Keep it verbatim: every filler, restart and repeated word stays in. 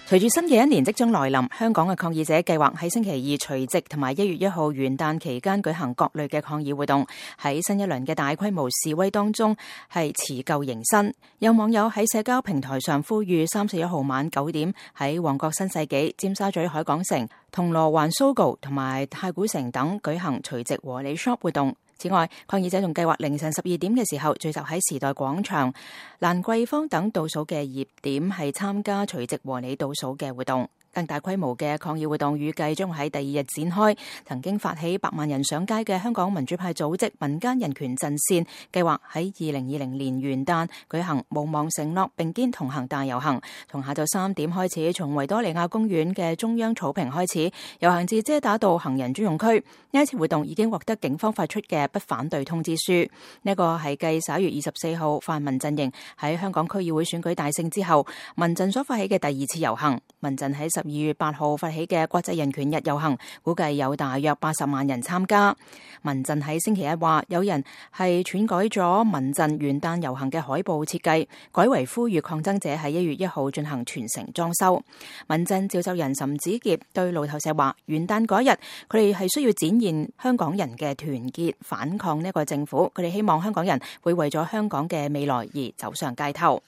隨住新嘅一年即將來臨，香港嘅抗議者計劃喺星期二除夕同埋一月一號元旦期間舉行各類嘅抗議活動。喺新一輪嘅大規模示威當中，係辭舊迎新。有網友喺社交平台上呼籲三十一號晚九點喺旺角新世紀、尖沙咀海港城、銅鑼灣 Sogo 同埋太古城等舉行除夕和你 shop 活動。此外，抗議者仲計劃凌晨十二點嘅時候聚集喺時代廣場、蘭桂坊等倒數嘅熱點，係參加除夕和你倒數嘅活動。更大規模嘅抗議活動預計將喺第二日展開。曾經發起百萬人上街嘅香港民主派組織民間人權陣線，計劃喺二零二零年元旦舉行無望承諾並肩同行大遊行，從下晝三點開始，從維多利亞公園嘅中央草坪開始，遊行至遮打道行人專用區。呢一次活動已經獲得警方發出嘅不反對通知書。呢個係繼十一月二十四號泛民陣營喺香港區議會選舉大勝之後，民陣所發起嘅第二次遊行。民陣喺十二月八號發起嘅國際人權日遊行，估計有大約八十萬人參加。民陣喺星期一話，有人係篡改咗民陣元旦遊行嘅海報設計，改為呼籲抗爭者喺一月一號進行全城裝修。民陣召集人岑子傑對路透社話，元旦嗰日佢哋係需要展現香港人嘅團結，反抗呢個政府。佢哋希望香港人會為咗香港嘅未來而走上街頭。